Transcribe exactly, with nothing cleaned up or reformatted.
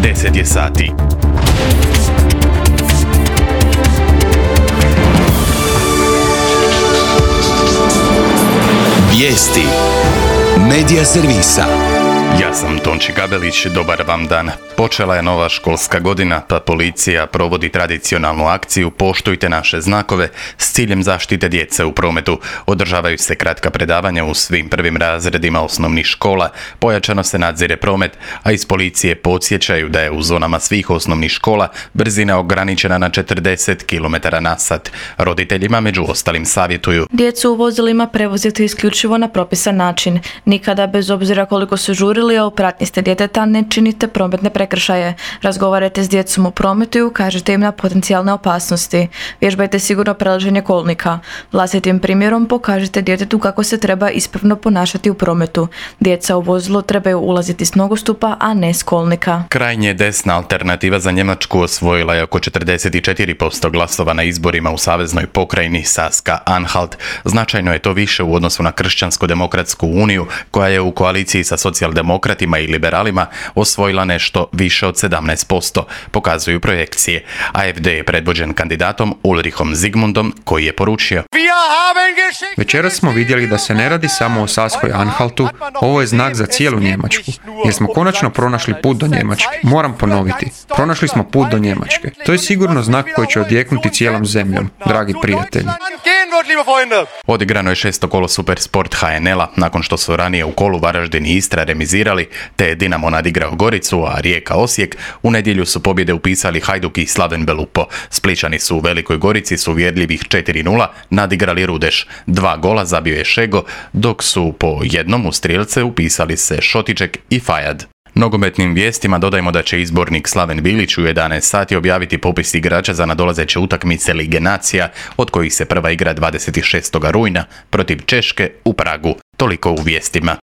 deset je sati. Vijesti Medija servisa. Ja sam Tonči Gabelić, dobar vam dan. Počela je nova školska godina, pa policija provodi tradicionalnu akciju Poštujte naše znakove s ciljem zaštite djece u prometu. Održavaju se kratka predavanja u svim prvim razredima osnovnih škola, pojačano se nadzire promet, a iz policije podsjećaju da je u zonama svih osnovnih škola brzina ograničena na četrdeset kilometara na sat. Roditeljima među ostalim savjetuju: djecu u vozilima prevozite isključivo na propisan način. Nikada, bez obzira koliko su žurili, a u pratnji ste djeteta, ne činite prometne prekršaje. Razgovarajte s djecom u prometu i ukažite im na potencijalne opasnosti. Vježbajte sigurno prelaženje kolnika. Vlastitim primjerom pokažite djetetu kako se treba ispravno ponašati u prometu. Djeca u vozilo trebaju ulaziti s nogostupa, a ne s kolnika. Krajnje desna alternativa za Njemačku osvojila je oko četrdeset četiri posto glasova na izborima u saveznoj pokrajini Saska-Anhalt. Značajno je to više u odnosu na Kršćansko-demokratsku uniju, koja je u koaliciji sa socijaldemokratima i liberalima osvojila nešto više od sedamnaest posto, pokazuju projekcije. A F D je predvođen kandidatom Ulrichom Zigmundom, koji je poručio: večeras smo vidjeli da se ne radi samo o Saskoj Anhaltu, ovo je znak za cijelu Njemačku, jer smo konačno pronašli put do Njemačke. Moram ponoviti, pronašli smo put do Njemačke. To je sigurno znak koji će odjeknuti cijelom zemljom, dragi prijatelji. Odigrano je šesto kolo Supersport H N L-a, nakon što su ranije u kolu Varaždin i Istra remizirali, te je Dinamo nadigrao Goricu, a Rijeka Osijek. U nedjelju su pobjede upisali Hajduk i Slaven Belupo. Splićani su u Velikoj Gorici s uvjerljivih četiri nula nadigrali Rudeš. Dva gola zabio je Šego, dok su po jednom u strijelce upisali se Šotiček i Fajad. Nogometnim vijestima dodajmo da će izbornik Slaven Bilić u jedanaest sati objaviti popis igrača za nadolazeće utakmice Lige nacija, od kojih se prva igra dvadeset šestog rujna protiv Češke u Pragu. Toliko u vijestima.